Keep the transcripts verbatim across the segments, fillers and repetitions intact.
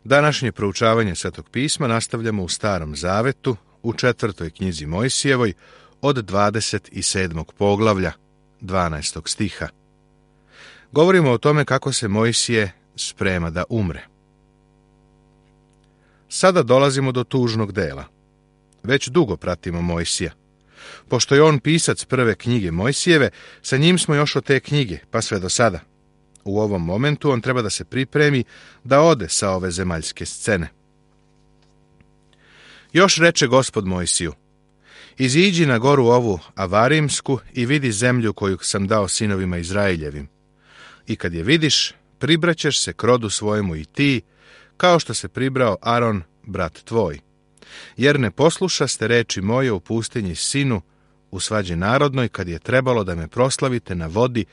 Današnje proučavanje Svetog pisma nastavljamo u Starom zavetu, u četvrtoj knjizi Mojsijevoj, od dvadeset sedmog poglavlja, dvanaestog stiha. Govorimo o tome kako se Mojsije sprema da umre. Sada dolazimo do tužnog dela. Već dugo pratimo Mojsija. Pošto je on pisac prve knjige Mojsijeve, sa njim smo još od te knjige, pa sve do sada. U ovom momentu on treba da se pripremi da ode sa ove zemaljske scene. Još reče Gospod Mojsiju: iziđi na goru ovu Avarimsku i vidi zemlju koju sam dao sinovima Izraeljevim. I kad je vidiš, pribraćeš se k rodu svojemu i ti, kao što se pribrao Aron, brat tvoj. Jer ne poslušaste reči moje u pustinji Sinu, u svađi narodnoj, kad je trebalo da me proslavite na vodi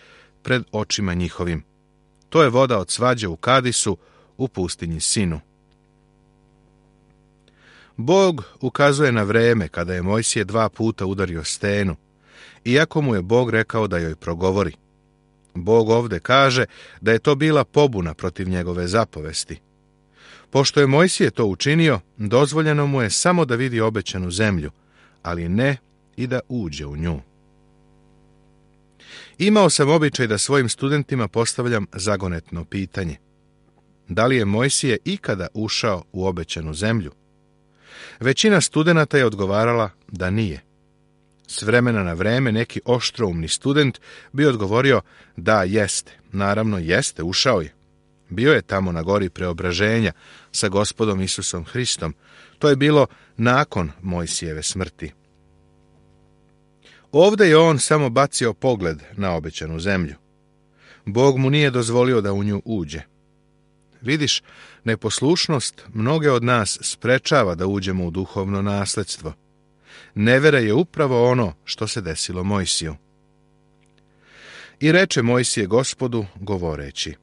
pred očima njihovim. To je voda od svađe u Kadisu, u pustinji Sinu. Bog ukazuje na vreme kada je Mojsije dva puta udario stenu, iako mu je Bog rekao da joj progovori. Bog ovde kaže da je to bila pobuna protiv njegove zapovesti. Pošto je Mojsije to učinio, dozvoljeno mu je samo da vidi obećanu zemlju, ali ne i da uđe u nju. Imao sam običaj da svojim studentima postavljam zagonetno pitanje. Da li je Mojsije ikada ušao u obećanu zemlju? Većina studenata je odgovarala da nije. S vremena na vreme neki oštroumni student bi odgovorio da jeste, naravno jeste, ušao je. Bio je tamo na gori preobraženja sa Gospodom Isusom Hristom. To je bilo nakon Mojsijeve smrti. Ovde je on samo bacio pogled na obećanu zemlju. Bog mu nije dozvolio da u nju uđe. Vidiš, neposlušnost mnoge od nas sprečava da uđemo u duhovno nasledstvo. Nevera je upravo ono što se desilo Mojsiju. I reče Mojsije Gospodu, govoreći: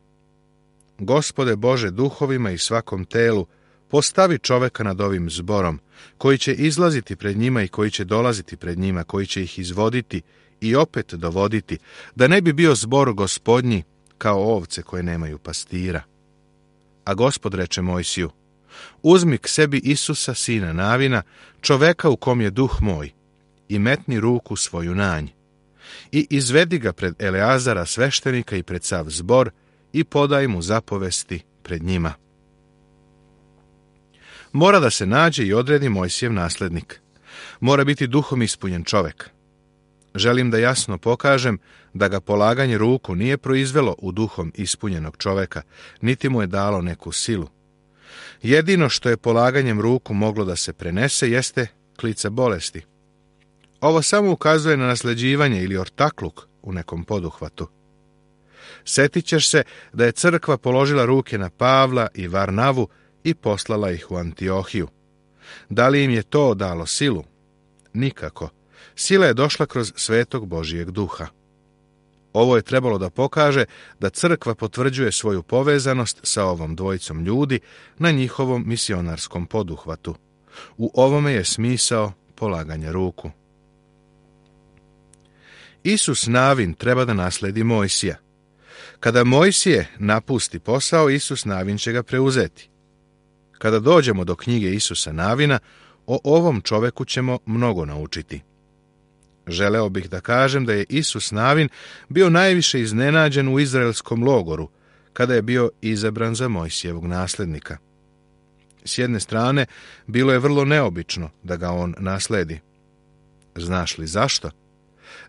Gospode Bože duhovima i svakom telu, postavi čoveka nad ovim zborom, koji će izlaziti pred njima i koji će dolaziti pred njima, koji će ih izvoditi i opet dovoditi, da ne bi bio zbor gospodnji kao ovce koje nemaju pastira. A Gospod reče Mojsiju: uzmi k sebi Isusa, sina Navina, čoveka u kom je duh moj, i metni ruku svoju na nj, i izvedi ga pred Eleazara sveštenika i pred sav zbor, i podaj mu zapovesti pred njima. Mora da se nađe i odredi Mojsijev naslednik. Mora biti duhom ispunjen čovek. Želim da jasno pokažem da ga polaganje ruku nije proizvelo u duhom ispunjenog čoveka, niti mu je dalo neku silu. Jedino što je polaganjem ruku moglo da se prenese jeste klica bolesti. Ovo samo ukazuje na nasleđivanje ili ortakluk u nekom poduhvatu. Setit ćeš se da je crkva položila ruke na Pavla i Varnavu i poslala ih u Antiohiju. Da li im je to dalo silu? Nikako. Sila je došla kroz svetog Božijeg duha. Ovo je trebalo da pokaže da crkva potvrđuje svoju povezanost sa ovom dvojicom ljudi na njihovom misionarskom poduhvatu. U ovome je smisao polaganja ruku. Isus Navin treba da nasledi Mojsija. Kada Mojsije napusti posao, Isus Navin će ga preuzeti. Kada dođemo do knjige Isusa Navina, o ovom čoveku ćemo mnogo naučiti. Želeo bih da kažem da je Isus Navin bio najviše iznenađen u izraelskom logoru, kada je bio izabran za Mojsijevog naslednika. S jedne strane, bilo je vrlo neobično da ga on nasledi. Znaš li zašto?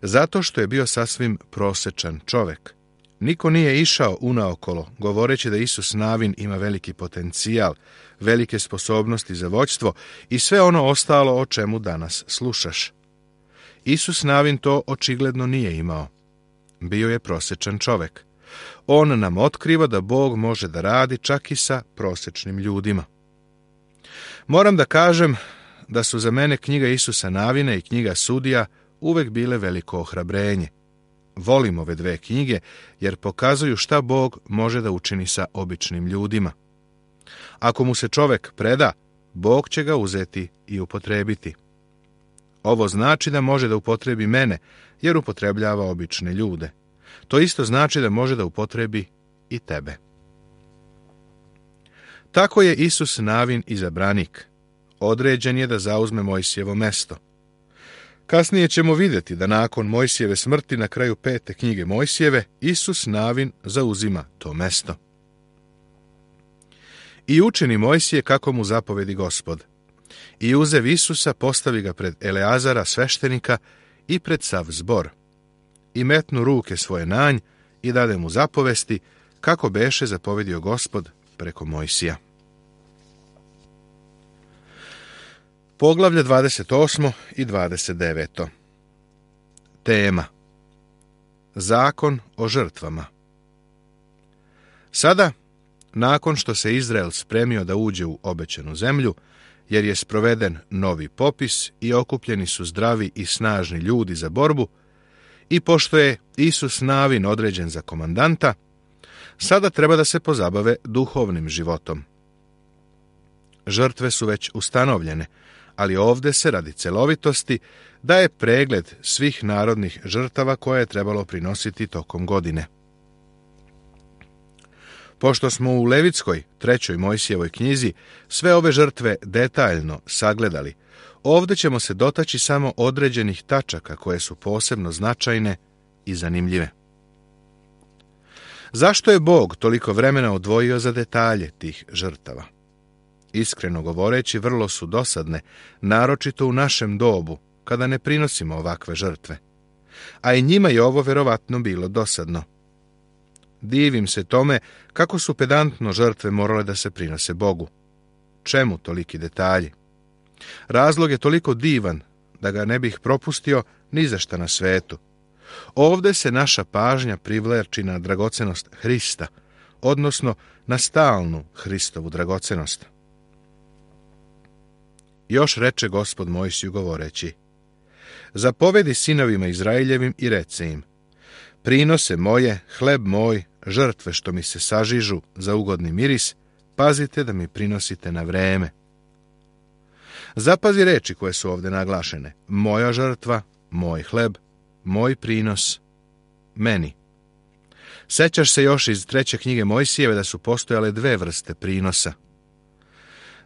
Zato što je bio sasvim prosečan čovek. Niko nije išao unaokolo, govoreći da Isus Navin ima veliki potencijal, velike sposobnosti za vođstvo i sve ono ostalo o čemu danas slušaš. Isus Navin to očigledno nije imao. Bio je prosečan čovek. On nam otkriva da Bog može da radi čak i sa prosečnim ljudima. Moram da kažem da su za mene knjiga Isusa Navina i knjiga Sudija uvek bile veliko ohrabrenje. Volim ove dve knjige jer pokazuju šta Bog može da učini sa običnim ljudima. Ako mu se čovek preda, Bog će ga uzeti i upotrebiti. Ovo znači da može da upotrebi mene, jer upotrebljava obične ljude. To isto znači da može da upotrebi i tebe. Tako je Isus Navin izabranik. Određen je da zauzme Mojsijevo mesto. Kasnije ćemo vidjeti da nakon Mojsijeve smrti na kraju pete knjige Mojsijeve, Isus Navin zauzima to mesto. I učini Mojsije kako mu zapovedi Gospod. I uzev Isusa, postavi ga pred Eleazara sveštenika i pred sav zbor. I metnu ruke svoje na nj i dade mu zapovesti, kako beše zapovedio Gospod preko Mojsija. Poglavlje dvadeset osmo i dvadeset deveto. Tema: Zakon o žrtvama. Sada, nakon što se Izrael spremio da uđe u obećanu zemlju, jer je sproveden novi popis i okupljeni su zdravi i snažni ljudi za borbu, i pošto je Isus Navin određen za komandanta, sada treba da se pozabave duhovnim životom. Žrtve su već ustanovljene, ali ovdje se radi celovitosti daje pregled svih narodnih žrtava koje je trebalo prinositi tokom godine. Pošto smo u Levitskoj, trećoj Mojsijevoj knjizi, sve ove žrtve detaljno sagledali, ovdje ćemo se dotaći samo određenih tačaka koje su posebno značajne i zanimljive. Zašto je Bog toliko vremena odvojio za detalje tih žrtava? Iskreno govoreći, vrlo su dosadne, naročito u našem dobu, kada ne prinosimo ovakve žrtve. A i njima je ovo verovatno bilo dosadno. Divim se tome kako su pedantno žrtve morale da se prinose Bogu. Čemu toliki detalji? Razlog je toliko divan da ga ne bih propustio ni za šta na svetu. Ovdje se naša pažnja privlači na dragocenost Hrista, odnosno na stalnu Hristovu dragocenost. Još reče Gospod Mojsiju govoreći: Zapovedi sinovima Izraeljevim i rece im: Prinose moje, hleb moj, žrtve što mi se sažižu za ugodni miris, pazite da mi prinosite na vreme. Zapazi reči koje su ovdje naglašene: moja žrtva, moj hleb, moj prinos, meni. Sećaš se još iz treće knjige Mojsijeve da su postojale dve vrste prinosa.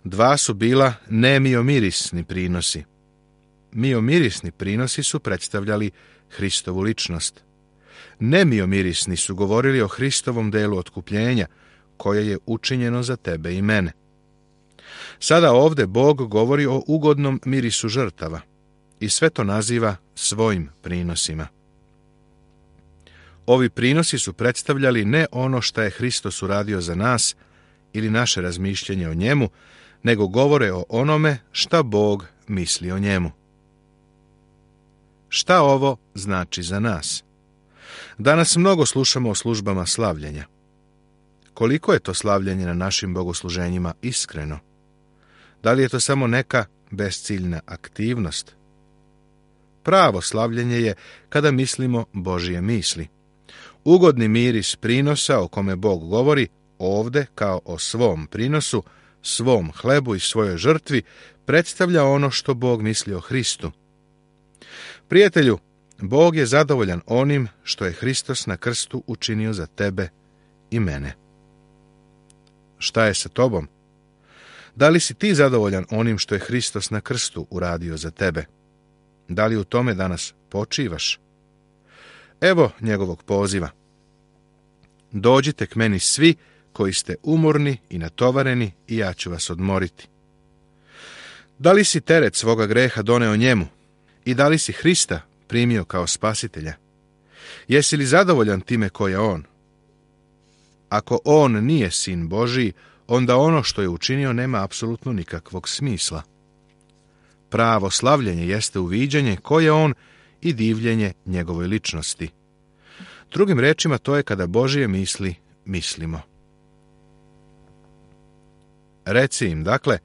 Dva su bila nemiomirisni prinosi. Miomirisni prinosi su predstavljali Hristovu ličnost. Nemiomirisni su govorili o Hristovom delu otkupljenja, koje je učinjeno za tebe i mene. Sada ovdje Bog govori o ugodnom mirisu žrtava i sve to naziva svojim prinosima. Ovi prinosi su predstavljali ne ono što je Hristos uradio za nas ili naše razmišljenje o njemu, nego govore o onome šta Bog misli o njemu. Šta ovo znači za nas? Danas mnogo slušamo o službama slavljenja. Koliko je to slavljenje na našim bogosluženjima iskreno? Da li je to samo neka bezciljna aktivnost? Pravo slavljenje je kada mislimo Božje misli. Ugodni miris prinosa o kome Bog govori ovdje kao o svom prinosu, svom hlebu i svojoj žrtvi predstavlja ono što Bog misli o Hristu. Prijatelju, Bog je zadovoljan onim što je Hristos na krstu učinio za tebe i mene. Šta je sa tobom? Da li si ti zadovoljan onim što je Hristos na krstu uradio za tebe? Da li u tome danas počivaš? Evo njegovog poziva. Dođite k meni svi koji ste umorni i natovareni i ja ću vas odmoriti. Da li si teret svoga greha doneo njemu i da li si Hrista primio kao spasitelja? Jesi li zadovoljan time ko je on? Ako on nije sin Božiji, onda ono što je učinio nema apsolutno nikakvog smisla. Pravo slavljenje jeste uviđanje ko je on i divljenje njegovoj ličnosti. Drugim rečima, to je kada Božije misli mislimo. Reci im, dakle,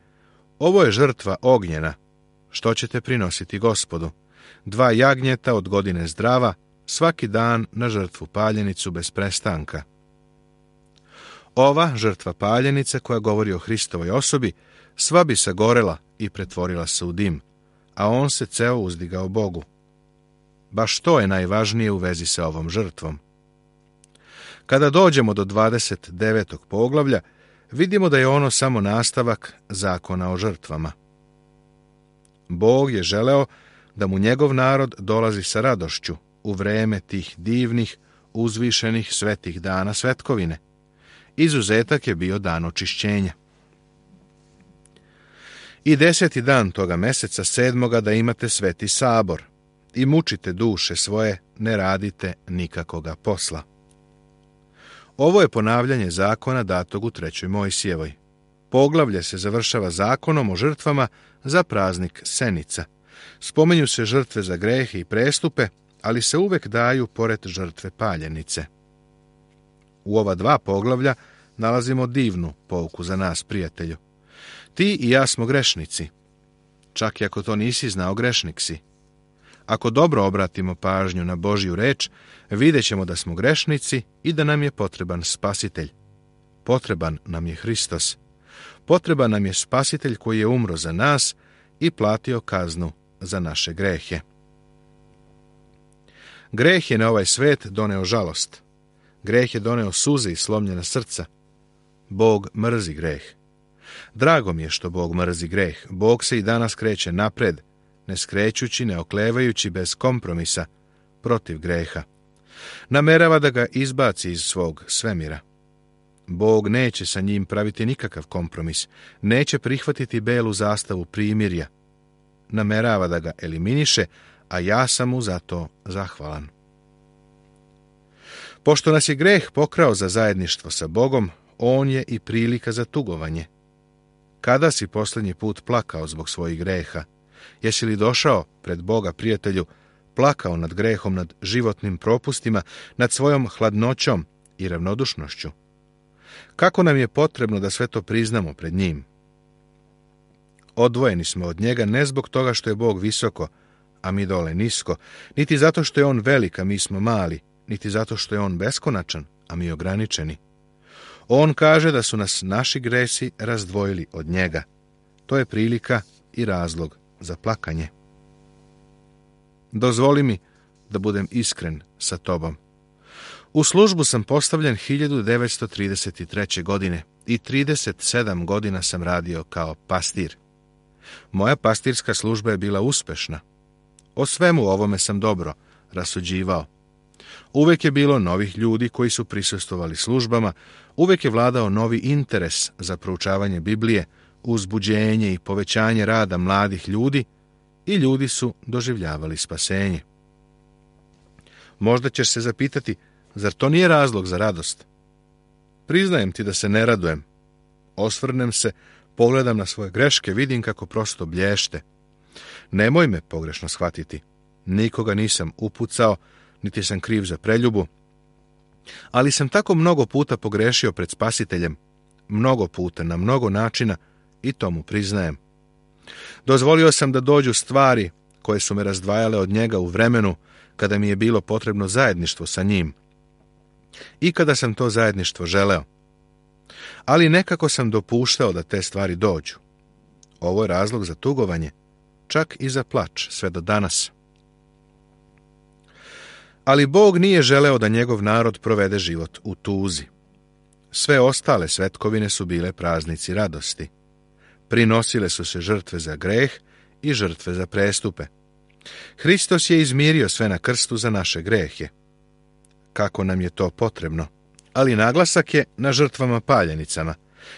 ovo je žrtva ognjena, što ćete prinositi Gospodu. Dva jagnjeta od godine zdrava, svaki dan na žrtvu paljenicu bez prestanka. Ova žrtva paljenice koja govori o Hristovoj osobi, sva bi se gorela i pretvorila se u dim, a on se ceo uzdigao Bogu. Baš to je najvažnije u vezi sa ovom žrtvom. Kada dođemo do dvadeset devetog poglavlja, vidimo da je ono samo nastavak zakona o žrtvama. Bog je želeo da mu njegov narod dolazi sa radošću u vreme tih divnih, uzvišenih svetih dana svetkovine. Izuzetak je bio dan očišćenja. I deseti dan toga meseca sedmoga da imate sveti sabor i mučite duše svoje, ne radite nikakoga posla. Ovo je ponavljanje zakona datog u trećoj Mojsijevoj. Poglavlje se završava zakonom o žrtvama za praznik Senica. Spomenju se žrtve za grehe i prestupe, ali se uvek daju pored žrtve paljenice. U ova dva poglavlja nalazimo divnu pouku za nas, prijatelju. Ti i ja smo grešnici. Čak i ako to nisi znao, grešnik si. Ako dobro obratimo pažnju na Božju reč, vidjet ćemo da smo grešnici i da nam je potreban spasitelj. Potreban nam je Hristos. Potreban nam je spasitelj koji je umro za nas i platio kaznu za naše grehe. Greh je na ovaj svet doneo žalost. Greh je doneo suze i slomljena srca. Bog mrzi greh. Drago mi je što Bog mrzi greh. Bog se i danas kreće napred, ne skrećući, ne oklevajući, bez kompromisa, protiv greha. Namerava da ga izbaci iz svog svemira. Bog neće sa njim praviti nikakav kompromis, neće prihvatiti belu zastavu primirja. Namerava da ga eliminiše, a ja sam mu za to zahvalan. Pošto nas je greh pokrao za zajedništvo sa Bogom, on je i prilika za tugovanje. Kada si posljednji put plakao zbog svojih greha? Jesi li došao pred Boga, prijatelju, plakao nad grehom, nad životnim propustima, nad svojom hladnoćom i ravnodušnošću? Kako nam je potrebno da sve to priznamo pred njim? Odvojeni smo od njega ne zbog toga što je Bog visoko, a mi dole nisko, niti zato što je on velik, a mi smo mali, niti zato što je on beskonačan, a mi ograničeni. On kaže da su nas naši gresi razdvojili od njega. To je prilika i razlog za plakanje. Dozvoli mi da budem iskren sa tobom. U službu sam postavljen hiljadu devetsto trideset treće. godine i trideset sedam godina sam radio kao pastir. Moja pastirska služba je bila uspešna. O svemu ovome sam dobro rasuđivao. Uvek je bilo novih ljudi koji su prisustvovali službama, uvek je vladao novi interes za proučavanje Biblije, uzbuđenje i povećanje rada mladih ljudi i ljudi su doživljavali spasenje. Možda ćeš se zapitati, zar to nije razlog za radost? Priznajem ti da se ne radujem. Osvrnem se, pogledam na svoje greške, vidim kako prosto blješte. Nemoj me pogrešno shvatiti. Nikoga nisam upucao, niti sam kriv za preljubu, ali sam tako mnogo puta pogrešio pred Spasiteljem, mnogo puta, na mnogo načina, i to mu priznajem. Dozvolio sam da dođu stvari koje su me razdvajale od njega u vremenu kada mi je bilo potrebno zajedništvo sa njim i kada sam to zajedništvo želeo. Ali nekako sam dopuštao da te stvari dođu. Ovo je razlog za tugovanje, čak i za plač, sve do danas. Ali Bog nije želeo da njegov narod provede život u tuzi. Sve ostale svetkovine su bile praznici radosti. Prinosile su se žrtve za greh i žrtve za prestupe. Hristos je izmirio sve na krstu za naše grehe. Kako nam je to potrebno? Ali naglasak je na žrtvama paljenicama,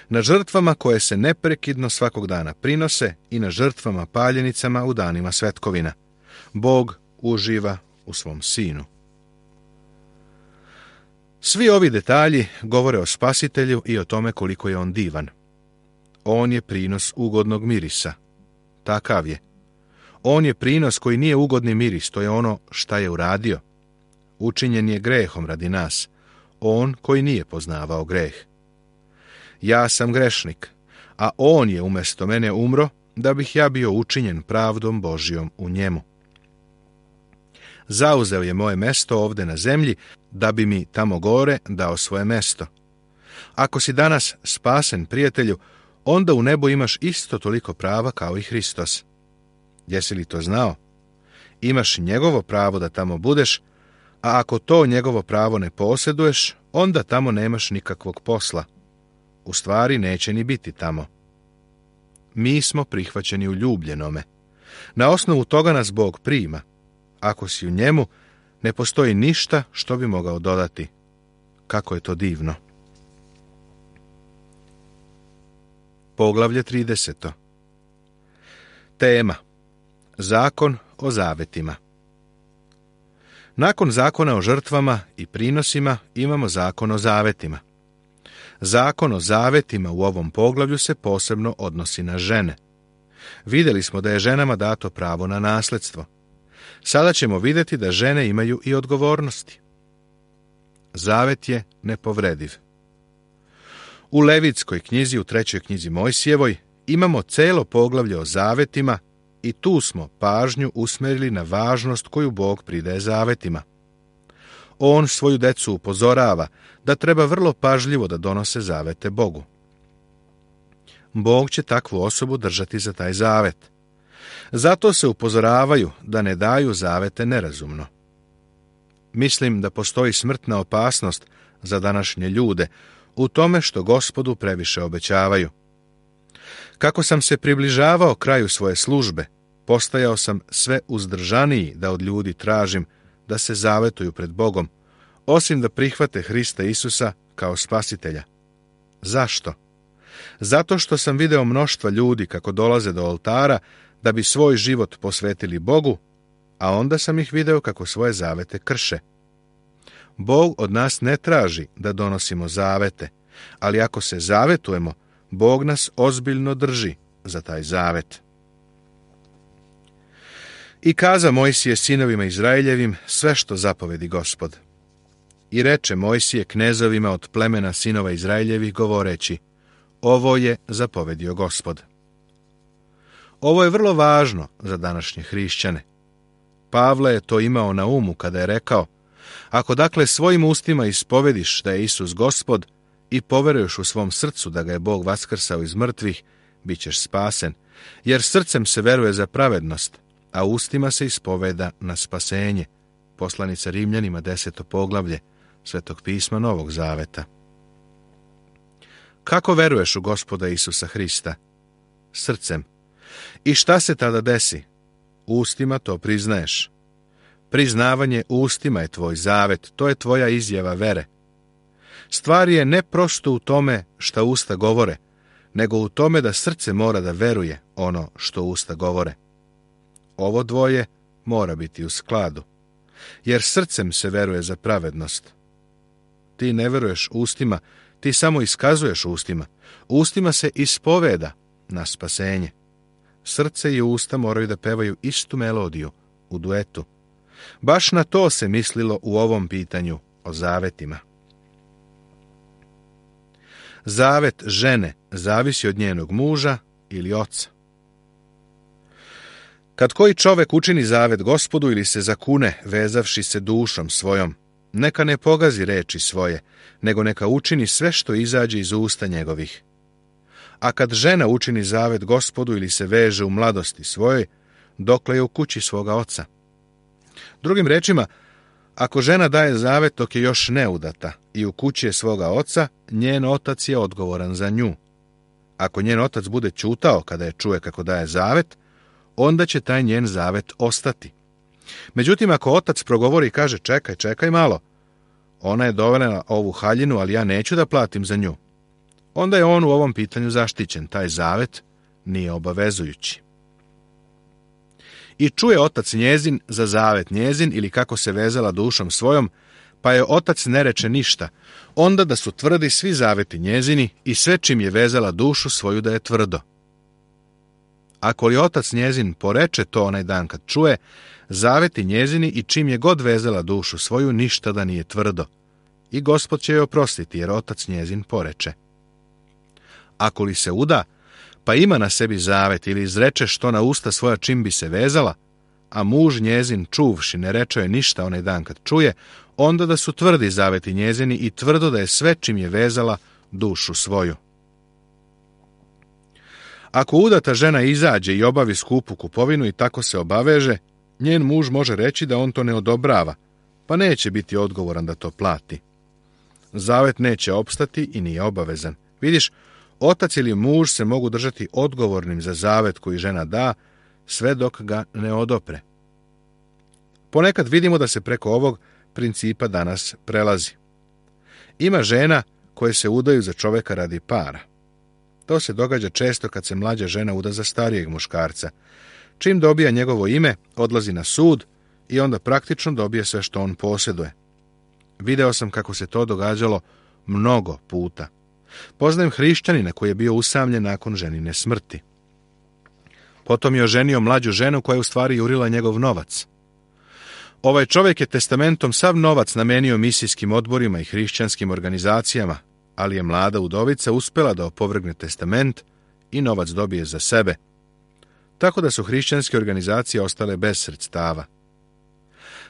na žrtvama koje se neprekidno svakog dana prinose i na žrtvama paljenicama u danima svetkovina. Bog uživa u svom sinu. Svi ovi detalji govore o Spasitelju i o tome koliko je on divan. On je prinos ugodnog mirisa. Takav je. On je prinos koji nije ugodni miris, to je ono šta je uradio. Učinjen je grehom radi nas, on koji nije poznavao greh. Ja sam grešnik, a on je umjesto mene umro, da bih ja bio učinjen pravdom Božjom u njemu. Zauzeo je moje mesto ovde na zemlji, da bi mi tamo gore dao svoje mesto. Ako si danas spasen, prijatelju, onda u nebu imaš isto toliko prava kao i Hristos. Jesi li to znao? Imaš njegovo pravo da tamo budeš, a ako to njegovo pravo ne posjeduješ, onda tamo nemaš nikakvog posla. u stvari neće ni biti tamo. Mi smo prihvaćeni u ljubljenome. Na osnovu toga nas Bog prima. Ako si u njemu, ne postoji ništa što bi mogao dodati. Kako je to divno. Poglavlje trideset. Tema. Zakon o zavetima. Nakon zakona o žrtvama i prinosima imamo zakon o zavetima. Zakon o zavetima u ovom poglavlju se posebno odnosi na žene. Vidjeli smo da je ženama dato pravo na nasljedstvo. Sada ćemo vidjeti da žene imaju i odgovornosti. Zavet je nepovrediv. U Levitskoj knjizi, u trećoj knjizi Mojsijevoj, imamo celo poglavlje o zavetima i tu smo pažnju usmjerili na važnost koju Bog pridaje zavetima. On svoju decu upozorava da treba vrlo pažljivo da donose zavete Bogu. Bog će takvu osobu držati za taj zavet. Zato se upozoravaju da ne daju zavete nerazumno. Mislim da postoji smrtna opasnost za današnje ljude u tome što Gospodu previše obećavaju. Kako sam se približavao kraju svoje službe, postajao sam sve uzdržaniji da od ljudi tražim da se zavetuju pred Bogom, osim da prihvate Hrista Isusa kao spasitelja. Zašto? Zato što sam video mnoštva ljudi kako dolaze do oltara da bi svoj život posvetili Bogu, a onda sam ih video kako svoje zavete krše. Bog od nas ne traži da donosimo zavete, ali ako se zavetujemo, Bog nas ozbiljno drži za taj zavet. I kaza Mojsije sinovima Izraeljevim sve što zapovedi Gospod. I reče Mojsije knezovima od plemena sinova Izraeljevih govoreći, ovo je zapovedio Gospod. Ovo je vrlo važno za današnje hrišćane. Pavle je to imao na umu kada je rekao, ako dakle svojim ustima ispovediš da je Isus Gospod i poveruješ u svom srcu da ga je Bog vaskrsao iz mrtvih, bit ćeš spasen, jer srcem se veruje za pravednost, a ustima se ispoveda na spasenje. Poslanica Rimljanima, deseto poglavlje Svetog pisma Novog Zaveta. Kako veruješ u Gospoda Isusa Hrista? Srcem. I šta se tada desi? Ustima to priznaješ. Priznavanje ustima je tvoj zavet, to je tvoja izjava vere. Stvar je ne prosto u tome šta usta govore, nego u tome da srce mora da veruje ono što usta govore. Ovo dvoje mora biti u skladu, jer srcem se veruje za pravednost. Ti ne veruješ ustima, ti samo iskazuješ ustima. Ustima se ispoveda na spasenje. Srce i usta moraju da pevaju istu melodiju u duetu. Baš na to se mislilo u ovom pitanju o zavetima. Zavet žene zavisi od njenog muža ili oca. Kad koji čovek učini zavet Gospodu ili se zakune, vezavši se dušom svojom, neka ne pogazi reči svoje, nego neka učini sve što izađe iz usta njegovih. A kad žena učini zavet Gospodu ili se veže u mladosti svojoj, dokle je u kući svoga oca. Drugim rečima, ako žena daje zavet dok je još neudata i u kući je svoga oca, njen otac je odgovoran za nju. Ako njen otac bude ćutao kada je čuje kako daje zavet, onda će taj njen zavet ostati. Međutim, ako otac progovori i kaže čekaj, čekaj malo, ona je dovela ovu haljinu, ali ja neću da platim za nju, onda je on u ovom pitanju zaštićen, taj zavet nije obavezujući. I čuje otac njezin za zavet njezin ili kako se vezala dušom svojom, pa je otac ne reče ništa, onda da su tvrdi svi zaveti njezini i sve čim je vezala dušu svoju da je tvrdo. Ako li otac njezin poreče to onaj dan kad čuje, zaveti njezini i čim je god vezala dušu svoju, ništa da nije tvrdo. I Gospod će joj oprostiti, jer otac njezin poreče. Ako li se uda, pa ima na sebi zavet ili izreče što na usta svoja čim bi se vezala, a muž njezin čuvši ne reče joj ništa onaj dan kad čuje, onda da su tvrdi zaveti njezini i tvrdo da je sve čim je vezala dušu svoju. Ako udata žena izađe i obavi skupu kupovinu i tako se obaveže, njen muž može reći da on to ne odobrava, pa neće biti odgovoran da to plati. Zavet neće opstati i nije obavezan, Vidiš, otac ili muž se mogu držati odgovornim za zavet koji žena da, sve dok ga ne odopre. Ponekad vidimo da se preko ovog principa danas prelazi. Ima žena koje se udaju za čoveka radi para. To se događa često kad se mlađa žena uda za starijeg muškarca. Čim dobija njegovo ime, odlazi na sud i onda praktično dobije sve što on posjeduje. Video sam kako se to događalo mnogo puta. Poznajem hrišćanina koji je bio usamljen nakon ženine smrti. Potom je oženio mlađu ženu koja je u stvari jurila njegov novac. Ovaj čovjek je testamentom sav novac namenio misijskim odborima i hrišćanskim organizacijama, ali je mlada udovica uspjela da opovrgne testament i novac dobije za sebe. Tako da su hrišćanske organizacije ostale bez sredstava.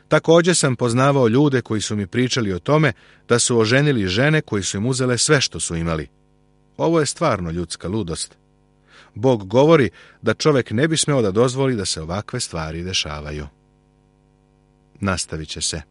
Također sam poznavao ljude koji su mi pričali o tome da su oženili žene koji su im uzele sve što su imali. Ovo je stvarno ljudska ludost. Bog govori da čovjek ne bi smeo da dozvoli da se ovakve stvari dešavaju. Nastavit će se.